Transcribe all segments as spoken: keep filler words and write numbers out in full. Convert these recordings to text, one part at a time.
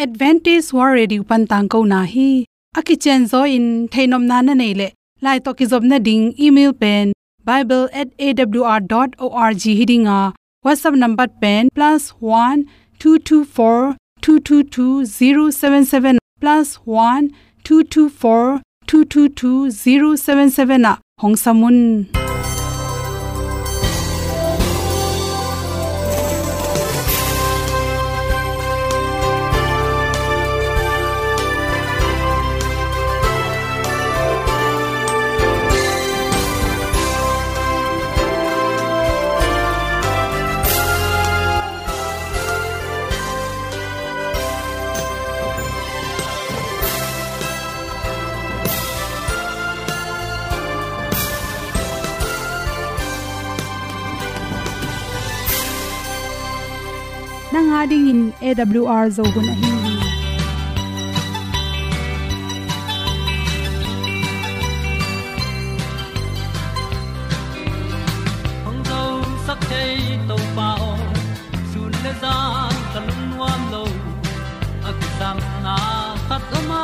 Adventist World Radio pan tangkona hi. A kicianzaw in theihnopna na neih leh, lai tawh kizopna ding email pen bible at A W R dot org hi ding a, WhatsApp number pen plus one two two four two two two zero seven seven, plus one two two four two two two zero seven seven ah hong sam un. Nang a dingin A W R Zo hun ahi hi. Hong zosak thei Topa aw, sun le zan ka lungnuam lo. A kisapna khat om a,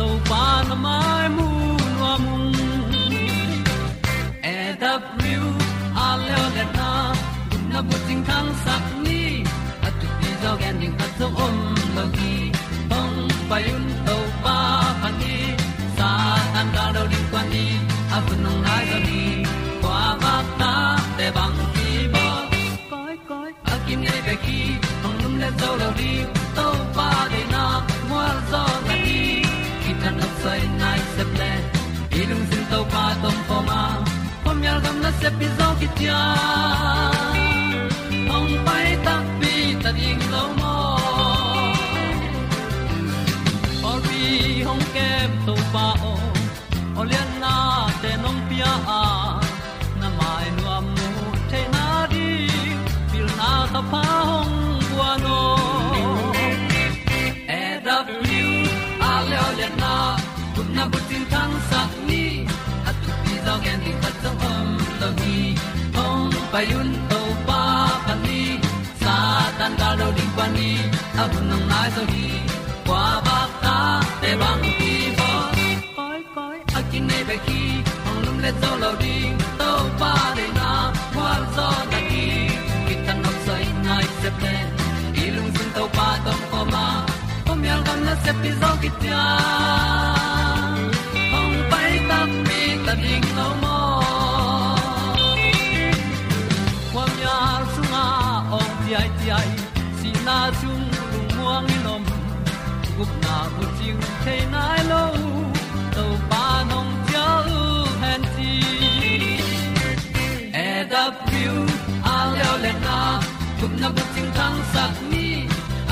Topa na mai mu nuam ung. A W R leo le na, gupna bucing thangsak ni. A thupi zaw gen ding khat zong om lo hi. Hong pai un Topa phat ni. Satan gal lo ding kuan ni. A hun hong nai zaw ni. Kua vak ta te bang ki bawl. Koi koi a kinei bek hi, hong lum le zo lo ding. Topa deihna mual zaw na ding. Kitang nop soi nai sep le, i lungsim Topa tawh om khawm a, khuamial gam nasep i zaw kician. Hong pai takpi ta ding lo maw? Pawlpi hong kem Topa aw, aw lianna te nong pia a, na mai nuam mu theihna ding, pilna thapha hong guan aw. A W R leo le na, gupna bucing thangsak ni. A thupi zaw gen ding khat zong om lo hi. Hong pai un Topa phat ni. Satan gal lo ding kuan ni. A hun hong nai zaw hi. Kua vak ta te bang ki bawl. Koi koi a kinei bek hi, hong lum le zo lo ding. Topa deihna mual zaw na ding. Kitang nop soi nai sep le, i lungsim Topa tawh om khawm a, khuamial gam nasep i zaw kician. Hong pai takpi ta ding lo maw? Khuamial sungah awng ciaiciai, sihna sung lungmuang in om. Gupna bucing thei nai lo, Topa nong cial hen ci. A W R leo le na, gupna bucing thangsak ni.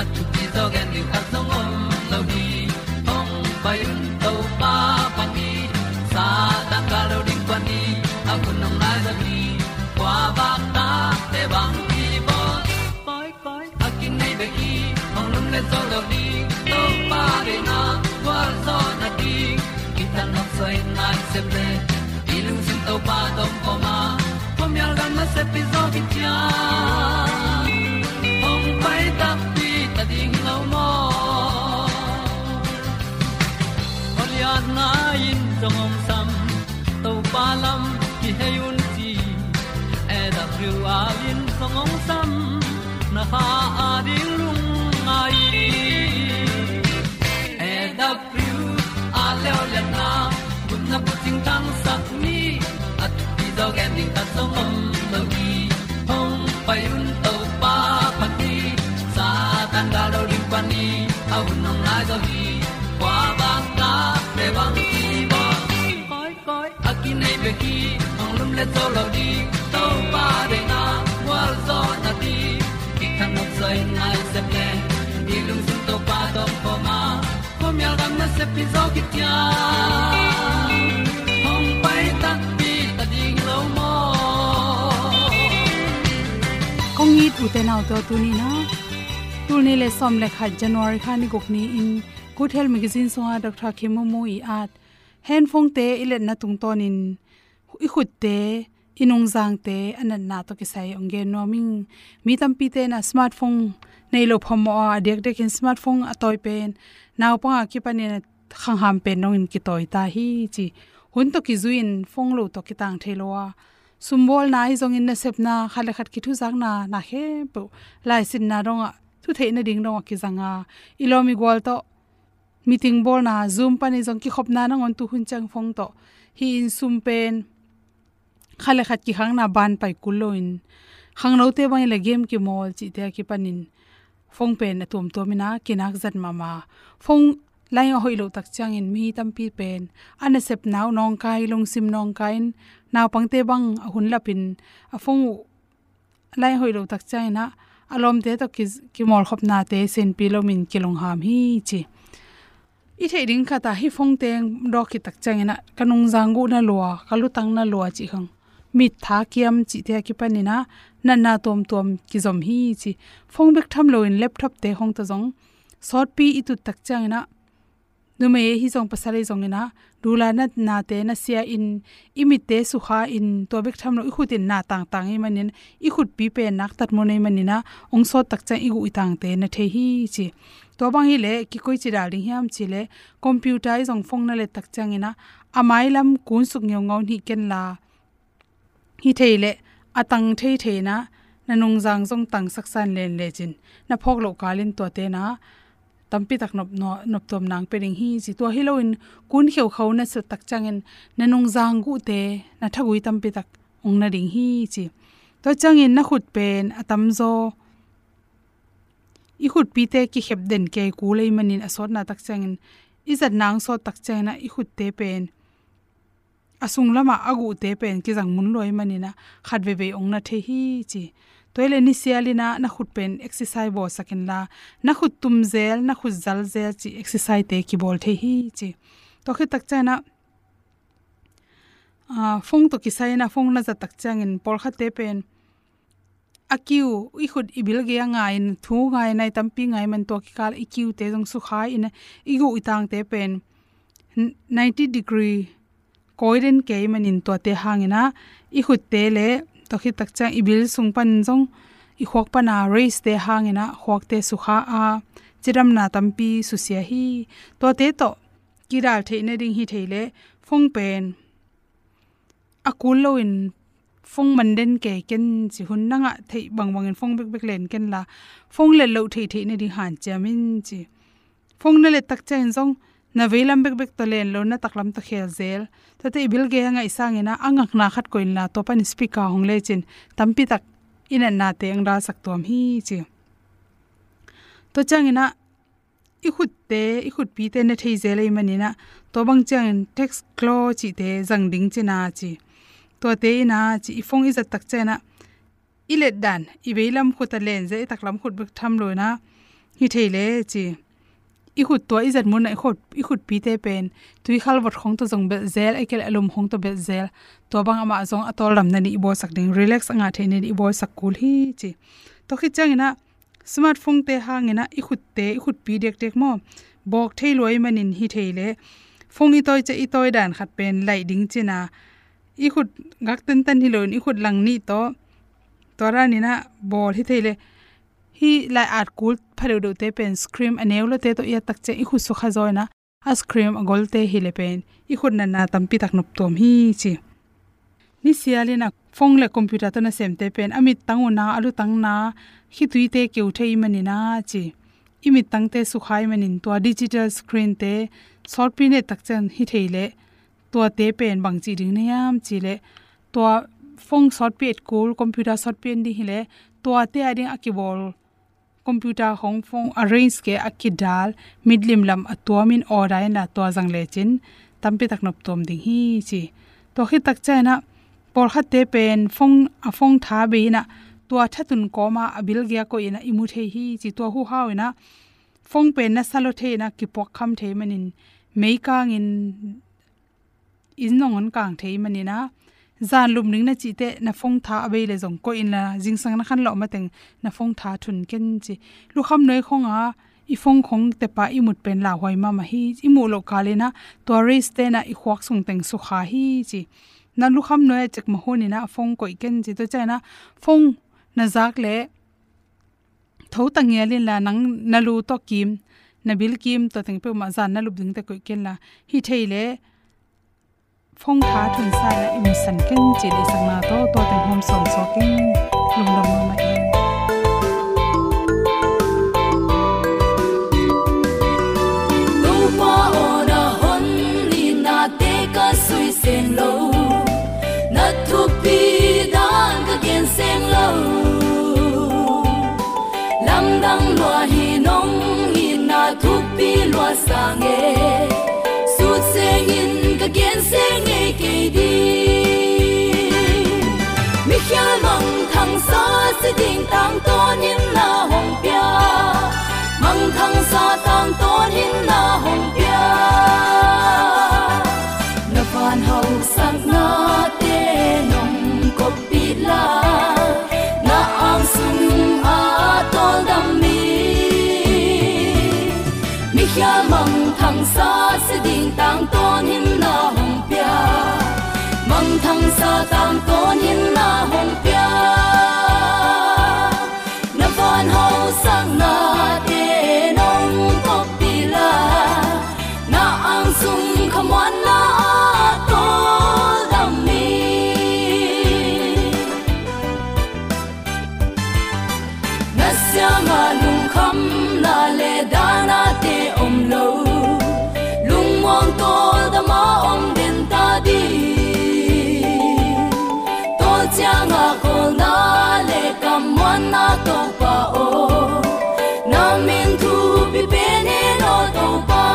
A thupi zaw gen ding khat zong om lo hi. Hong pai un Topa phat ni. Satan gal lo ding kuan ni. A hun hong nai zaw hi. Kua vak ta te bang ki bawl. Koi koi a kinei bek hi, hong lum le zo lo ding. Topa deihna gualzawhna ding, kitang nop soi nai sep le, i lungsim Topa tawh om khawm a, khuamial gam nasep i zaw kician. Hong pai takpi ta ding lo maw? Aw lianna in zong hong sam, Topa lam kihei un ci. A W R in zong hong sam, na kha a ding lungngai. A W R leo lianna, gupna bucing thangsak ni. A thupi zaw gen ding khat zong om lo hi. Hong pai un Topa phat ni. Satan gal lo ding phat ni. A hun hong nai zaw hi. Kua bang ta te bang ki bawl. Koi koi a kinei bek hi, hong lum le zo lo ding. Topa deihna gualzawhna ding, kitang nop soi nai sep le, i lungsim Topa tawh om khawm a, khuamial gam nasep i zaw kician. Hong pai takpi ta ding lo maw? Kong it ute naute aw, tuni-in ah, tul nih le sawm le khat January kha ni guk ni-in Good Health Magazine sungah Doctor Khin Maung Maung i at, handphone te i letna tungtawnin i khutte, i nungzangte a natna tawh kisai hong gen nuam ing. Mi tampite in ah smartphone Nei lo phamawh a, a diakdiakin smartphone a tawi pen naupang a kipanin a khangham pen dongin kitawi ta hi ci. Hun tawh kizui-in phone lo tawh kitang thei lo a, sumbawlna ahi zongin nasepna, khat le khat kithuzakna, na khempeuh, laisinna dongah, thutheihna ding dongah kizang a, i lawm i gual tawh meeting bawlna, Zoom panin zong kikhopna nangawn tu hun ciang phone tawh hi-in sum pen khat le khat kikhakna ban pai kul loin, khangnote bangin le game kimawl cihte a kipanin phone pen a tuamtuamin a kinak zat mahmah. Phone line a hoih loh tak ciangin mi tampi pen a nasepna uh nawngkai, lungsim nawngkai-in, naupangte bang a hun lapin a phone uh line hoih loh tak ciangin ah, a lawmte tawh ki, kimawlkhopnate senpi lomin kilungham hi ci. I theih ding khat ah, hih phone teng dawk khit tak ciangin ah, ka nungzang guh na lua, ka lutang na lua cih khang, mittha kiam cihte a kipanin ah, natna tuamtuam kizom hi ci. Phone bek tham loin laptop te khong tawh zong sawtpi i tut tak ciangin ah, numei ahi zong pasal ahi zongin ah, dula natnate na sia-in, i mitte sukha-in, tua bek tham lo i khutin na tangtang ahih manin, i khutpi pen naktat mun ahih manin ah, hong sawt tak ciang i guh i tangte na thei hi ci. Tua bang hileh kikoici dal ding hiam cih leh, computer ahi zong phone na let tak ciangin ah, a mailam kunsuk ngeungau hih ken la, hi thei leh, a tang thei thei-in ah, na nungzang zong tang saksan len lecin, na phawk loh kalin tuate na tampi tak nop, nop tuam nang pia ding hi ci. Tua hi loin kun kheukhau na sut tak ciangin, na nungzang guhte, na thagui tampi tak hong na ding hi ci. Tua ciangin na khut pen a tamzaw i khutpite kikhep den kei kul ahih manin, a sawtna tak ciangin, i zatna hong sawt tak ciangin ah, i khutte pen a sunglamah a guhte pen kizang mun lua ahih manin ah, khat veivei hong na thei hi ci. Tua hileh nisialin ah na khut pen exercise bawlsak inla, na khut tum zel, na khut zal zel cih exercise-te kibawl thei hi ci. Tua khit tak ciangin ah, ah, phone tawh kisai-in ah phone na zat tak ciangin, pawlkhatte pen a kiu, i khut i bil gei-ah ngai-in, thu ngai, nai tampi ngai man, tua kikal i kiute zong sukha-in ah, i guh i tangte pen n-, ninety degree kawi den kei manin, tuate hangin ah i khutte le, tua khit tak ciang i bil sung pan zong, i khuak pana rays-te hangin ah khuakte sukha a, cidamna tampi susia hi. Tuate tawh kidal theihna ding hi thei leh, phone pen a kul loin phone man den kei ken ci. Hun na ngah theih bangbangin phone bekbek len ken la, phone let loh theihtheihna ding hanciam in ci. Phone na let tak ciangin zong, na veilam bekbek tawh len lo, na taklam tawh khel zel. Tuate i bil gei-ah ngaih sangin ah, a ngakna khat koih inla, tua pan speaker hong lecin, tampi tak i natnate hong dalsak tuam hi ci. Tua ciangin ah, i khutte, i khutpite na thei zel ahih manin ah, tua bang ciangin text claw cihte zang ding cin a ci. Tuate in ah ci, i phone i zat tak ciangin ah, i let dan, i veilam khut a len zel, i taklam khut bek tham loin ah, hi thei leh ci. I khut tua i zat mun ah, i khut, i khutpite pen tuikhal vot khong tawh zong belh zel, ahih kei leh a lum khong tawh belh zel. Tua bang amah zong a tawldamna ding i bawlsak ding, relax a ngah theihna ding i bawlsak kul hi ci. Tua khit ciangin ah, smartphone-te hangin ah i khutte, i khutpi diakdiak maw, bawk thei lua ahih manin, hi thei leh, phone i tawi ciang i tawi dan khat pen laih ding cin a, i khut gak tentan hi loin, i khut lang nih tawh, tua danin ah bawl, hi thei leh, hih lai-at kul pha deuhdeuhte pen screen a neu lote tawh i at tak ciang i khut sukha zaw-in ah, a screen a golte hi leh pen i khut natna tampi tak nop tuam hi ci. Nisialin ah phone le computer tawh nasemte pen a mittang uh na, a lutang na, khituite keu thei ahih manin ah ci. I mittangte sukha ahih manin, tua digital screen-te sawtpi na et tak ciang, hi thei leh, tuate pen bang ci ding na hiam cih leh, tua phone sawtpi et kul, computer sawtpi en ding hi leh, tuate a ding a kibawl computer khong, phone a range kei a kidal, mitlim lam a tuamin order inla, tua zang lecin tampi tak nop tuam ding hi ci. Tua khit tak ciangin ah, pawlkhatte pen phone, a phone tha bei-in ah, tua thatun kawma a bil gei-ah koih-in ah i mu thei hi ci. Tua huhau-in ah, phone pen na sa lua thei-in ah, kipuak kham thei manin, meikangin inn zong hong kang thei manin ah, zan lum ding na cih teh, na phone tha a bei leh zong koih inla, zingsang na khanlawh mateng na phone tha thun ken ci. Lukham nuai khong ah i phone khong tepa i mut pen lauhuai mahmah hi. I muh loh kalin ah, tua rays-te in ah i khuak sung teng sukha hi ci. Na lukham nuai a cek mah hunin ah phone koih ken ci. Tua ciangin ah phone na zak leh, Tho ta ngial inla, nang na lu tawh kim, na bil kim, tua teng peuhmah zan na lup dingte koih kenla, hi thei leh phone tha thunsa inla i musak keng, ci lei sakna tawh tua teng hawm sawnsawn keng. Lungdam mahmah ing. Topa aw, na hon itnate ka sui seng lo, na thupi dan ka gen seng lo. Lamdang lua hi, nong itna thupi lua sang e, sut sengin ka gen seng ngei kei ding. Mikhial mangthangsa si ding tangtawn in na hong pia, mangthangsa tangtawn in na hong pia. Na van hausaknate nong koppih la, na ang sung a tawldam mi. Mikhial mangthangsa si ding tangtawn in na hong pia, mangthangsa tangtawn in na hong pia. Na van hausaknate nong koppih la, na ang sung khamuanna a tawldam mi. Na siangah lungkhamna le dahnate om lo, lungmuang tawldam a om den ta ding. Tawl ciangah khawlna le kammuanna Topa aw, na min thupi pen hen aw Topa.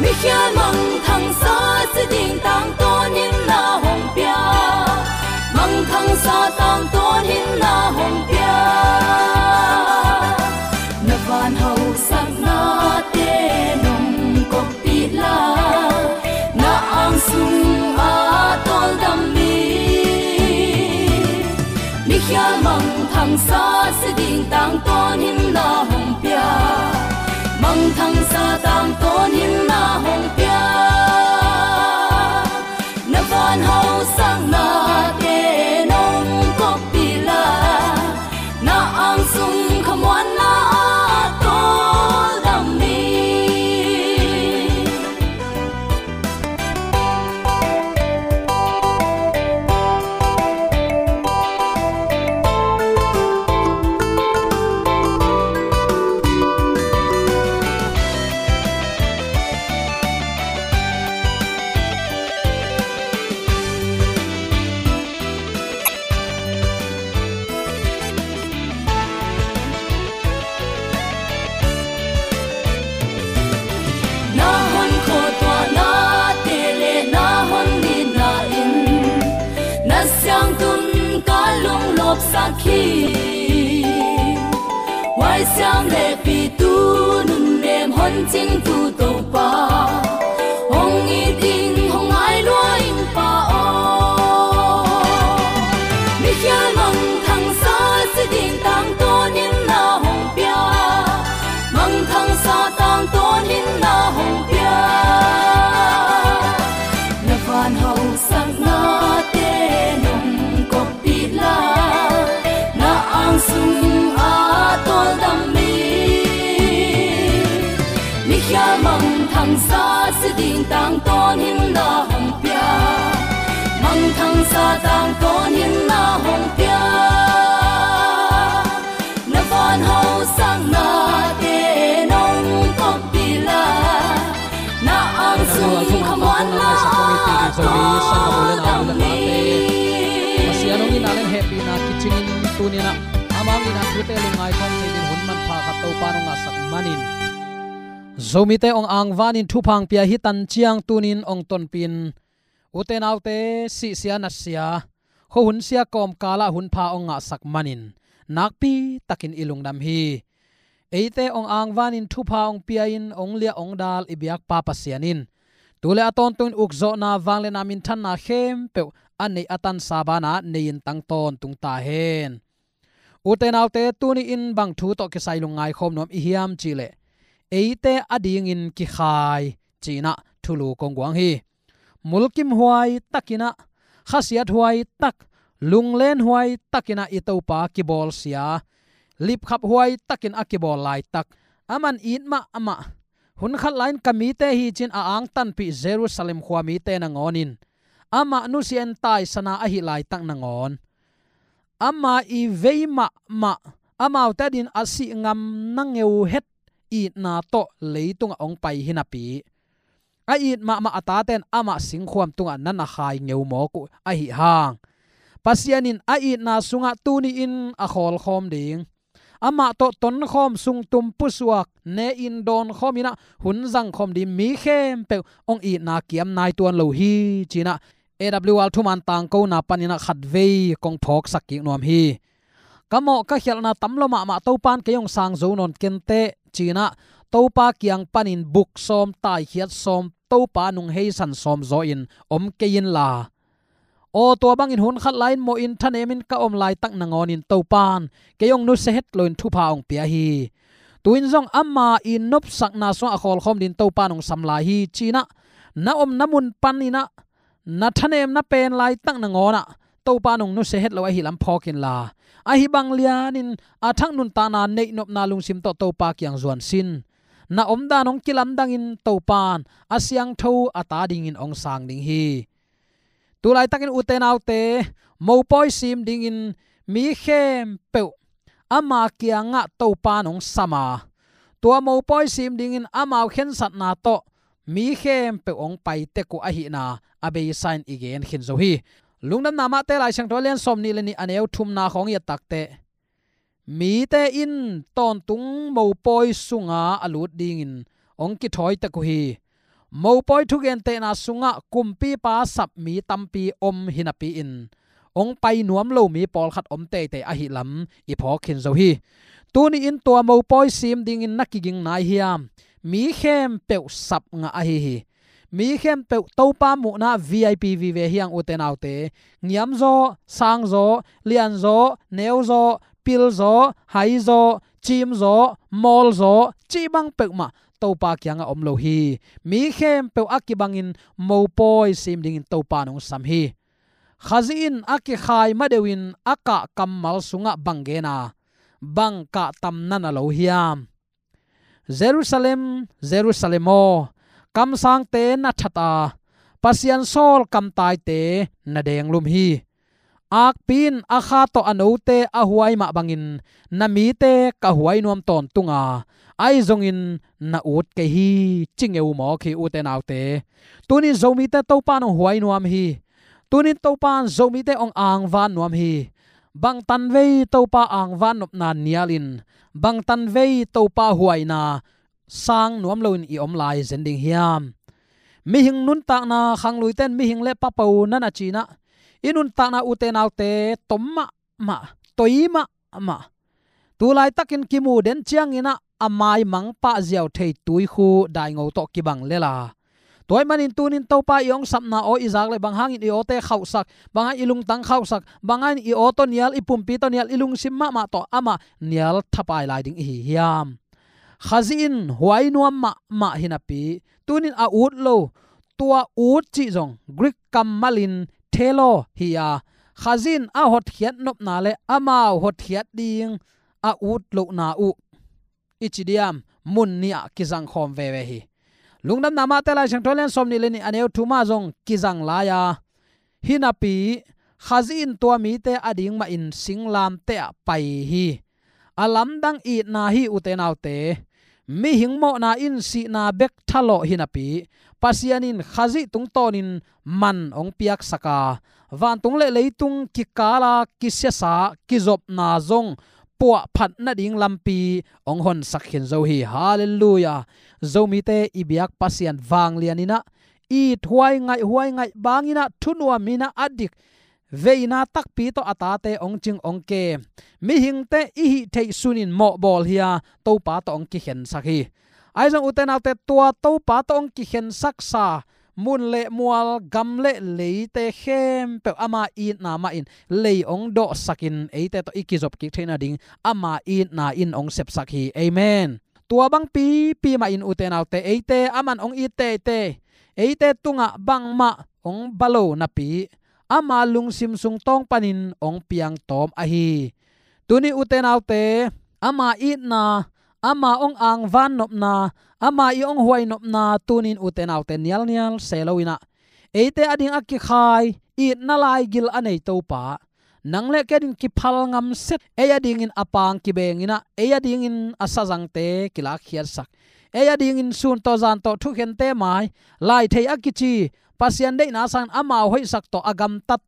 Mikhial mangthangsa si ding tangtawn in na hong pia, mangthangsa tangtawn in na hong pia. Na van hausaknate nong koppih la, na ang sung a tawldam mi. Mikhial mangthangsa si ding tangtawn in na hong pia, mangthangsa tangtawn in na hong pia. Na van hausaknate nong koppih la, na ang sung khamuanna a tawldam mi. Na hon khuatuahnate le na hon itna in na siangtun ka lunglawpsak hi. Huaisiam le pitu nunnem hon cingtu Topa, hong it ing, hong ngai lua ing Pa aw. Mikhial mangthangsa si ding tangtawn in na hong pia, mangthangsa tangtawn in na hong pia. Na van hausaknate nong koppih la, na ang sung a tawldam mi. Mikhial mangthangsa si ding tangtawn in na hong pia, mangthangsa tangtawn in na hong pia. Na van hausaknate nong koppih la, na ang sung khamuanna a tawldam mi. Pasian hong itna le hehpihna kicingin tuni-in ah amah hong itna thute lungngai khawm thei ding hun manpha khat Topa hong ngahsak manin, Zomite hong angvanin thupha hong pia hi tan ciang tuni-in hong tonpih in, ute naute, sihsia nasia, khuahunsia kawmkalah hunpha hong ngahsak manin nakpi takin i lungdam hi. Eite hong angvanin thupha hong pia-in hong liah hong dal i biakpa Pasian in tu le a tawntungin ukzawhna, vangliatna, minthanna khempeuh a neih a tansa banah nei-in tang tawntung ta hen. Ute naute, tuni-in bang thu tawh kisai lungngai khawm nuam i hiam cihleh, eite adingin kikhai ci-in ah thulu kong guang hi. Mulkimhuai takin ah, khasiathuai tak, lunglen huai takin ah i Topa kibawlsia, lipkhap huai takin a kibawl laitak, aman it mahmah, hun khat lai-in ka mite hi ci-in a angtanpih Jerusalem khua mite nangawn in amah nusia-in taisana ahih laitak nangawn, ama i vei mahmah, amaute adingin a sih ngamna ngeu het itna tawh leitungah hong pai hi napi, a it mahmah a tate in amah singkhuam tungah na na khai ngeu mawk uh ahih hang, Pasian in a itna sungah tuni-in a khawlkhawm ding, amah tawh tonkhawm, sungtum pusuak, ne-in dawnkhawm in ah hun zangkhawm ding mi khempeuh hong itna kiam nai tuan lo hi ci-in ah A W R thuman tangkona panin ah khatvei kong phawksak kik nuam hi. Ka mawh ka khialhna tam lo mahmah, Topa in kei hong sang zo nawn kenteh ci-in ah Topa kiang panin buk sawm, taikhiat sawm, Topa nung heisan sawm zaw-in om kei inla, aw, tua bangin hun khat lai-in mawhin thanemin ka om laitak nangawn in Topa in kei hong nusia het loin thupha hong pia hi. Tu-in zong ama i nopsakna sungah a khawlkhawm dingin Topa in hong sam lai hi ci-in ah na omna mun panin ah na thanemna pen laitak nangawn ah Topa in hong nusia het lo ahih lam phawk inla, ahi bang lianin a thak nuntakna neihnopna lungsim tawh Topa kiang zuan sin. Na omdan hong kilamdangin Topa in a siangtho a ta dingin hong sang ding hi. Tu laitakin ute naute, mopawi sim dingin mi khempeuh ama kiangah Topa in hong sam a, tua mopawi sim dingin amau khensatna tawh mi khempeuh hong pai tek uh ahihna a beisa in i gen khin zo hi. Lungdamna Mate Lai Siangtho a lian sawmnih le nih, a neu thumna khawng i et takteh, mite in tawntung mopawi sunga a lut dingin hong kithawi tek uh hi. Mopawi thugentehna sungah kumpipa sap mi tampi om hi napi-in, hong pai nuam lo mi pawlkhat om teitei ahih lam i phawk khin zo hi. Tuni-in tua mopawi sim dingin na kiging nai hiam? Mi khempeuh sap ngah ahi hi. Mi khempeuh Topa muhna V I P vive hi hang ute naute. Ngiamzaw, sangzaw, lianzaw, neuzaw, pilzaw, haizaw, cimzaw, mawlzaw, cih bang peuhmah Topa kiangah om lo hi. Mi khempeuh a kibangin mopawi sim dingin Topa in hong sam hi. Khazih in a kikhai madeuhin a kah kammal sungah bang gen a, bang kah tam na na lo hiam? Jerusalem, Jerusalem aw, kamsangte na that a, Pasian sawl kamtaite na denglum hi. Akpi in a kha tawh a note a huai mah bangin na mite ka huai nuam tawntung a, ahi zongin na ut kei hi, ci ngeu mawk hi ute naute. Tuni-in Zomite Topa in hong huai nuam hi. Tuni-in Topa in Zomite hong angvan nuam hi. Bang tanvei Topa angvan nopna nialin, bang tanvei Topa huaina sang nuam loin i om lai zen ding hiam? Mihing nuntakna, khangluite in mihing le papo na na ci-in ah, i nuntakna ute naute tom mahmah, toi mahmah. Tu laitakin kimu den ciangin ah a maimang pah ziau thei tuikhu daingo tawh kibang lel a. Tua ahih manin tuni-in Topa i hong sapna aw i zak leh, bang hangin i awte khauhsak, bang hangin i lungtang khauhsak, bang hangin i aw tawh nial, i pumpi tawh nial, i lungsim mahmah tawh amah nial thapai lai ding i hi hiam? Khazih in huai nuam mahmah hi napi, tuni-in a ut lo, tua ut cih zong Greek kammalin thelo hi a, Khazih in a hotkhiat nopna le amau hotkhiat ding a ut lohna uh, i ci diam, mun nih ah kizangkhawm veve hi. Lungdamna Mate Lai Siangtho a lian sawmnih le nih, a neu thum ah zong kizang lai a, hi napi Khazih in tua mite ading mahin singlamteh ah pai hi. A lamdang itna hi ute naute. Mihing mawhna in sihna bek thalawh hi napi, Pasian in Khazih tungtawnin man hong piaksak a, vantung le leitung kikala kisiasa kizopna zong puahphat nading lampi hong honsak khin zo hi. Halleluiah. Zomite i biak Pasian vanglian in ah, it huai ngaih huai ngaih bangin ah, thunuam in ah, a dik veina takpi tawh a tate hong cing hong kem, mihingte i hih theih sunin mawhbawl hi a, Topa tawh hong kikhensak hi. Ahi zong ute naute, tua Topa tawh hong kikhensaksa mun le mual, gam le leite khempeuh ama itna mahin lei hong dawhsakin eite tawh i kizop kik theih nading ama itna in hong sepsak hi. Amen. Tua bang pipi mahin ute naute, eite aman hong it teitei, eite tungah bangmah hong ba lo napi, ama lungsim sung tawng panin hong piangtawm ahi. Tuni ute naute, ama itna, ama hong angvan nopna, ama i hong huai nopna tunin ute naute nialnial se loinah eite ading a kikhai, itna laigil a nei Topa, nang le kei ading kiphal ngamset, ei adingin a pang kibenginah, ei adingin a sazangte kilakkhiatsak, ei adingin sun tawh zan tawh thukhente mai, laithei a kici, Pasian deihna sangin amau hoihsak tawh a gamtat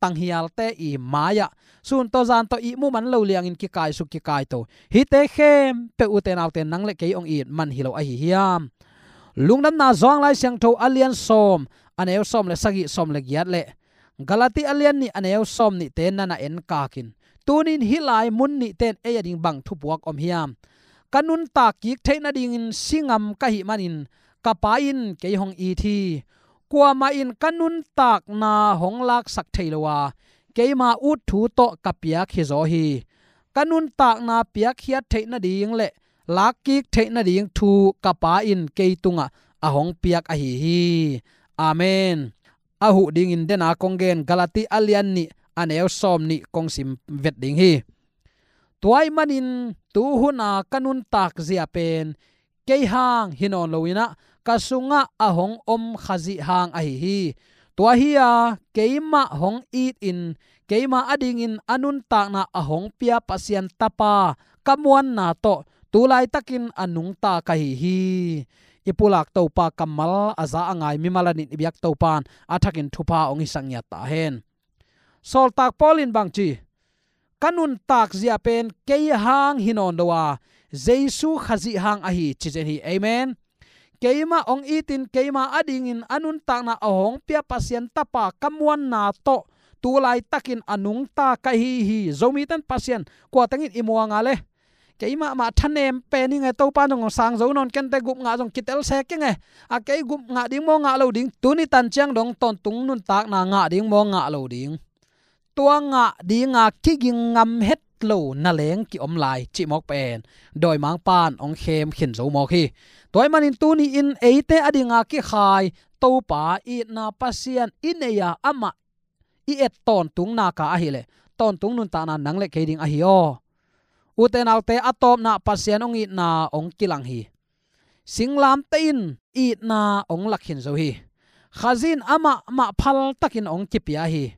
tanghialte i mai-ah sun tawh zan tawh ihmu man lo liangin kikaisuk kikaito, hihte khempeuh ute naute nang le kei hong it man hi lo ahi hiam? Lungdamna Johan Lai Siangtho a lian sawm, a neu sawm le sagih, sawm le giat le Galati a lian nih, a neu sawm nihte nana enkakin, tunin hih lai mun nihte in ei ading bang thupuak om hiam? Ka nuntak kik theih nadingin si ngam ka hih manin ka Pa in kei hong it hi. Kuamah in ka nuntakna hong laksak thei lo a, keima ut thu tawh ka piak hizaw hi. Ka nuntakna piakkhiat theih nading le lakkik theih nading thu ka Pa in kei tungah a hong piak ahi hi. Amen. A huh dingin dena kong gen Galati a lian nih, a neu sawm nih kong sim vet ding hi. Tua ahih manin tu huna ka nuntak zia pen kei hang hi nawn loinah ka sungah a hong om Khazih hang ahi hi. Tua hi-a keimah hong itin keima adingin a nuntakna a hong pia Pasian Tapa ka muanna tawh tu laitakin a nungta ka hi hi. I pulak Topa kammal a za a ngai mimal adingin i biak Topa in a thakin thupha hong hisak ngiat ta hen. Sawltak Paul in bangci, ka nuntak zia pen kei hang hi nawn lo a, Jesu Khazih hang ahi, ci zen hi. Amen. Keimah hong itin keima adingin a nuntakna a hong pia Pasian Tapa ka muanna tawh tu laitakin a nungta ka hi hi. Zomite in Pasian kua tengin i muang a le, keimah mah thanem pen hi nge, Topa in zong sang zo nawn kei inteh, gup ngah zong kitel se kei nge, a kei gup ngah ding maw ngah lo ding, tuni tan ciang dong tawntung nuntakna ngah ding maw ngah lo ding, tua ngah dinga kiging ngam het lo na leng kiom lai cih mawk pen dawimangpa in hong khem khin zo mawk hi. Tua ahih manin tuni-in eite adinga kikhai Topa itna Pasian i nei a, amah i et tawntung nak a ahileh tawntung nuntakna nang le kei ding ahi aw. Ute naute, a tawpna Pasian hong itna hong kilang hi. Singlamteh in itna hong lak khin zo hi. Khazih in amah mah phaltakin hong kipia hi.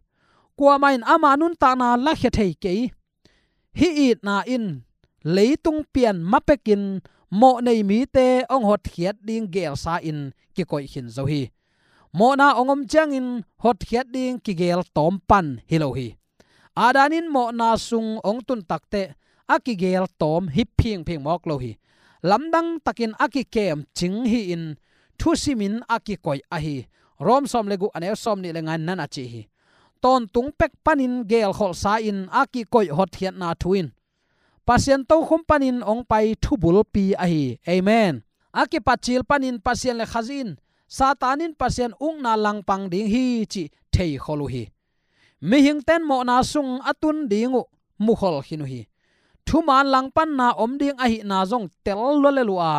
Kuamah in ama nuntakna lakhia thei kei. Hih itna in leitung pian mapekin mawh nei mite hong hotkhiat ding gelsa-in kikoih khin zo hi. Mawhna hong om ciangin hotkhiat ding kigel tawm pan hi lo hi. Adam in mawhna sung hong tun takteh a kigel tawm hi phingphing mawk lo hi. Lamdang takin a kikem cing hi-in thusimin a kikoih ahi. Rom sawm le guk, a neu sawm nih le nga-in nana cih hi. Tawntung pek panin gelkholhsa-in a kikoih hotkhiatna thu in Pasian tokhom panin hong pai thubulpi ahi. Amen. A kipatcil panin Pasian le Khazih in, Satan in Pasian ukna langpang ding hi cih theikhol uh hi. Mihingte in mawhna sung a tun ding uh mukhol khin uh hi. Thuman langpanna om ding ahihna zong tel lualel uh a,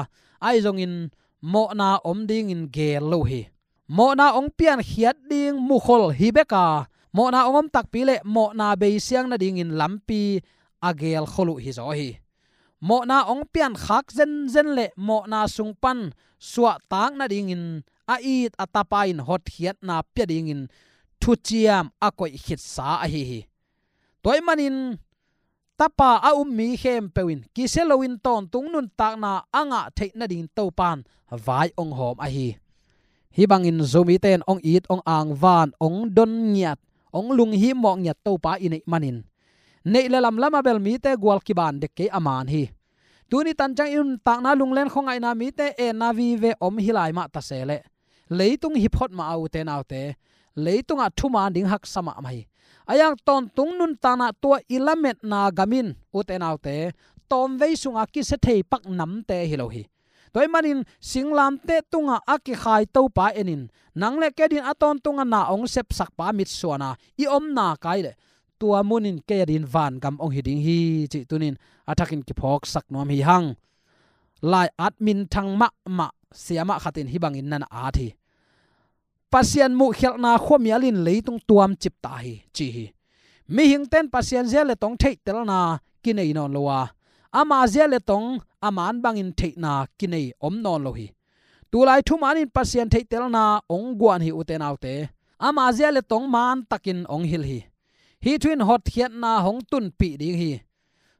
ahi zongin mawhna om dingin gel lo uh hi. Mawhna hong piankhiat ding mukhol hi bek a, mawhna hong om takpi le mawhna beisiang nadingin lampi a gelkhol uh hizaw hi. Mawhna hong piankhak zenzen le mawhna sung pan suahtak nadingin a it a Tapa in hotkhiatna pia dingin thuciam a koih khitsa ahi hi. Tua ahih manin Tapa a um mi khempeuh in kisia loin tawntung nuntakna a ngah theih nadingin Topa in vai hong hawm ahi. Hih bangin Zomite in hong it, hong angvan, hong don ngiat, hong lunghimawh ngiat Topa i neih manin neih le lamlam a bel mite gual kiban dek kei a man hi. Tuni tan ciang i nuntakna lunglen khuangaihna mite enna vive om hi lai mah ta se leh, leitung hi phot mah a, ute naute, leitungah thuman ding haksa mahmah hi. A yang tawntung nuntakna tua i lametna gam in, ute naute, tawmvei sunga kisia thei pak namte hi lo hi. Tua ahih manin singlamteh tungah a kikhai Topa enin, nang le kei adingin a tawntungah na hong sepsakpa mitsuana i omna kai leh, tua munin kei adingin vangam hong hi ding hi cih tunin a thakin kiphawksak nuam hi hang. Lai-at minthang mahmah siamah khat in hih bangin nana at hi. Pasian muhkhialhna khuamial in leitung tuam cip ta hi, ci hi. Mihingte in Pasian zia le tong theihtelna kinei nawn lo a, ama zia le tong a man bangin theihna kinei om nawn lo hi. Tulai thuman in Pasian theihtelna hong guan hi, ute naute. Ama zia le tong man takin hong hilh hi. Hih thu in hotkhiatna hong tunpih ding hi.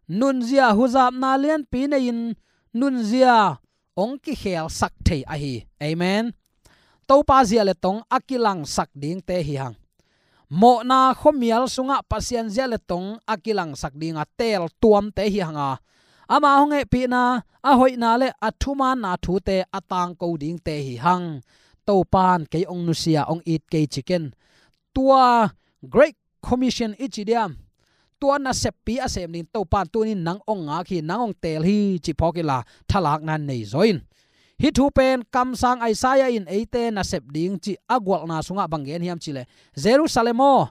Nunzia huzapna lianpi nei-in nunzia hong kikhelsak thei ahi. Amen. Topa zia le tong a kilangsak dingte hi hang. Mawhna khuamial sungah Pasian zia le tong a kilangsak ding a teel tuamte hi hang a, ama hong hehpihna, a hoihna le a thumaanna thute a tangko dingte hi hang. Topan kei hong nusia, hong it kei ci ken. Tua Great Commission i ci diam, tua naseppi a sem ding Topan tunin nang hong ngak hi, nang hong teel hi cih phawk inla, thalakna nei zaw in. Hih thu pen kamsang Isaiah in eite nasep ding cih a gualhna sungah bang gen hiam cih leh, Jerusalem aw,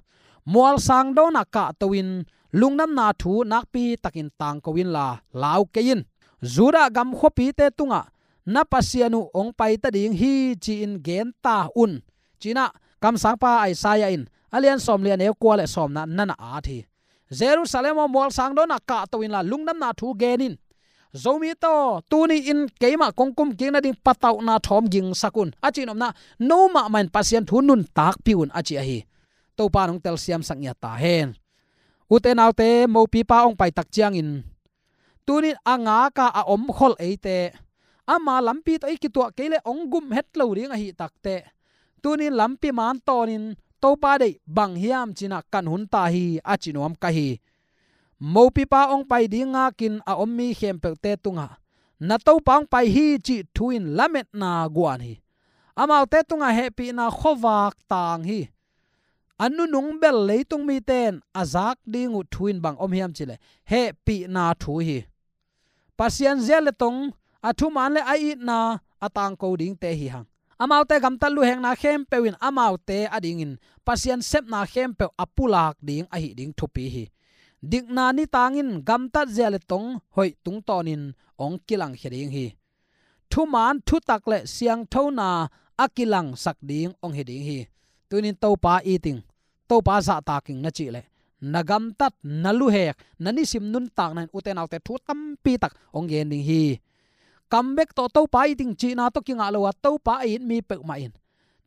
mualsang dawnah kahto in, lungdamna thu nakpi takin tangko inla, lau kei in. Judah gam khuapite tungah na Pasian uh hong paita ding hi, ci-in gen ta un, ci-in ah kamsangpa Isaiah in a lian sawmli, a neu kua le sawmna na na at hi. Jerusalem aw, mualsang dawnah kahto inla, lungdamna thu gen in. Zomite aw, tuni-in keimah kong kumkik nading patauhna thawm gingsak un, a cihnopna, no mahmah in Pasian thu nuntakpih un, a ci ahi. Topa in hong telsiamsak ngiat ta hen. Ute naute, mopipa hong paitak ciangin, tunin a ngaka a omkhol eite, ama lampi tawh i kituah kei leh hong gum het lo ding ahih takteh, tunin lampi man tawnin Topa deih bang hiam ci-in ah kan hun ta hi, a ci nuam ka hi. Mopipa hong pai ding ngakin a om mi khempeuhte tungah na Topa hong pai hi cih thu in lametna guan hi. Amaute tungah hehpihna khuavak tang hi. A nunung bel leitung mite in a zak ding uh thu in bang om hiam cih leh, hehpihna thu hi. Pasian zia le tong, a thuman le a itna a tangko dingte hi hang. Amaute gamtat luhekna khempeuh in amaute adingin Pasian sepna khempeuh a pulak ding ahih ding thupi hi. Dikna nitang in gamtat zia le tong hoih tungtawnin hong kilangkhia ding hi. Thuman, thutak le siangthona a kilangsak ding hong hi ding hi. Tunin Topa it ing, Topa zahtak ing na cih leh, na gamtat, na luhek, na nisim nuntakna in, ute naute, thu tampi tak hong gen ding hi. Kam bek tawh Topa it ing cihna tawh kingah lo a, Topa a it mi peuhmah in,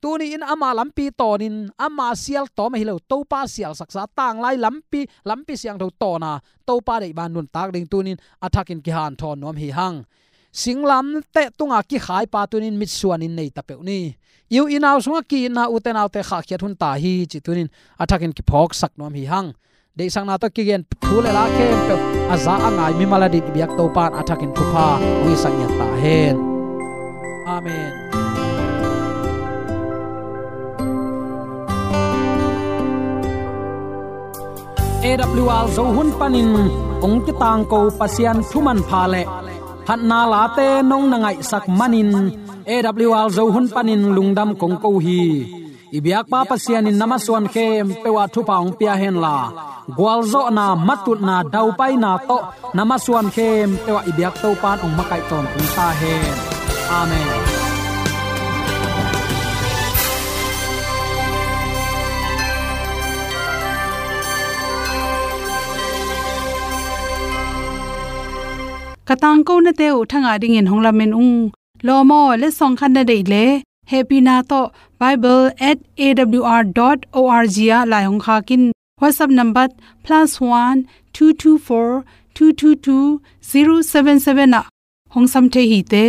tuni-in ama lampi tawnin, ama sial tawm ahi lo, Topa sialsaksa tanglai lampi, lampi siangtho tawna Topa deih bang nuntak ding tunin a thakin kihanthawn nuam hi hang. Singlamteh tunga kikhaipa tunin mitsuanin nei ta peuh ni. I u i nau sungah ki-itna, ute naute, khahkhiat hun ta hi cih tunin a thakin kiphawksak nuam hi hang. Deihsakna tawh kigen thu le la khempeuh a za a ngai mimal adingin i biak Topa in a thakin thupha hong hisak ngiat ta hen. Amen. A W R Zo hun panin hong kitangko Pasian thu manpha le phatna late nong na ngaihsak manin A W R Zo hun panin lungdam kong ko hi. I biakpa Pasian in na masuan khempeuh ah thupha hong pia henla, gualzawhna, matutna, daupaina tawh na masuan khempeuh ah i biak Topa in hong makaih tawntung ta hen. Amen. Ka tangkonate uh thangah dingin hong lamen ung. Lawm aw, letsong khat na deih leh, hehpihna tawh bible at A W R dot O R G ah lai hong khak in. WhatsApp number plus one two two four two two two zero seven seven ah hong sam thei hi te.